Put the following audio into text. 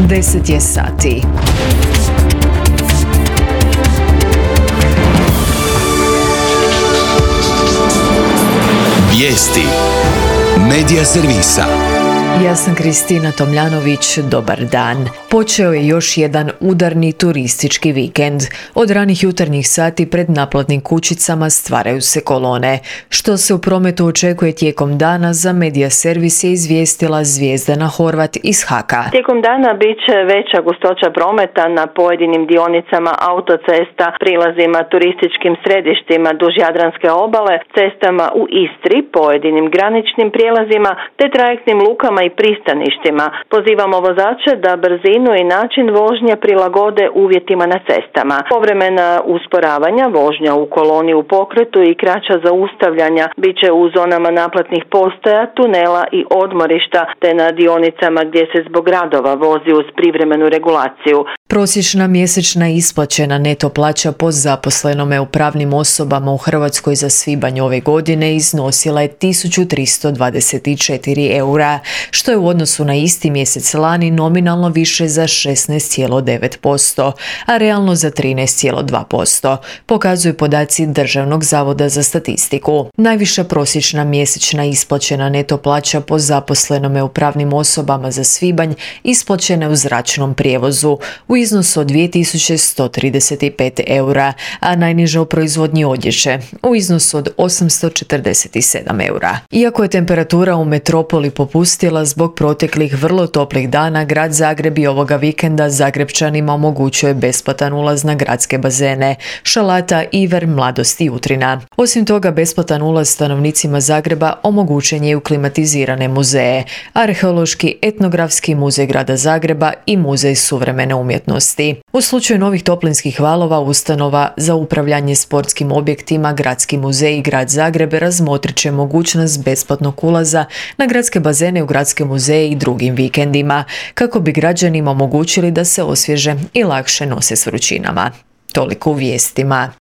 10 je sati. Vijesti Medija servisa. Ja sam Kristina Tomljanović, dobar dan. Počeo je još jedan udarni turistički vikend. Od ranih jutarnjih sati pred naplatnim kućicama stvaraju se kolone. Što se u prometu očekuje tijekom dana, za Medija servis je izvijestila Zvijezdana Horvat iz HAK-a. Tijekom dana bit će veća gustoća prometa na pojedinim dionicama autocesta, prilazima turističkim središtima duž Jadranske obale, cestama u Istri, pojedinim graničnim prijelazima te trajektnim lukama i pristaništima. Pozivamo vozače da brzinu i način vožnje prilagode uvjetima na cestama. Povremena usporavanja, vožnja u koloni u pokretu i kraća zaustavljanja bit će u zonama naplatnih postaja, tunela i odmorišta te na dionicama gdje se zbog radova vozi uz privremenu regulaciju. Prosječna mjesečna isplaćena neto plaća po zaposlenome u pravnim osobama u Hrvatskoj za svibanj ove godine iznosila je 1324 eura, što je u odnosu na isti mjesec lani nominalno više za 16,9%, a realno za 13,2%, pokazuju podaci Državnog zavoda za statistiku. Najviša prosječna mjesečna isplaćena neto plaća po zaposlenome u pravnim osobama za svibanj isplaćena je u zračnom prijevozu u iznosu od 2135 eura, a najniža u proizvodnji odjeće u iznosu od 847 eura. Iako je temperatura u metropoli popustila zbog proteklih vrlo toplih dana, grad Zagreb i ovoga vikenda Zagrepčanima omogućuje besplatan ulaz na gradske bazene Šalata, Iver, Mladost i Utrina. Osim toga, besplatan ulaz stanovnicima Zagreba omogućen je u klimatizirane muzeje, Arheološki etnografski muzej grada Zagreba i Muzej suvremene umjetnosti. U slučaju novih toplinskih valova, ustanova za upravljanje sportskim objektima, Gradski muzej i grad Zagreb razmotrit će mogućnost besplatnog ulaza na gradske bazene u gradske muzeje i drugim vikendima, kako bi građanima omogućili da se osvježe i lakše nose s vrućinama. Toliko u vijestima.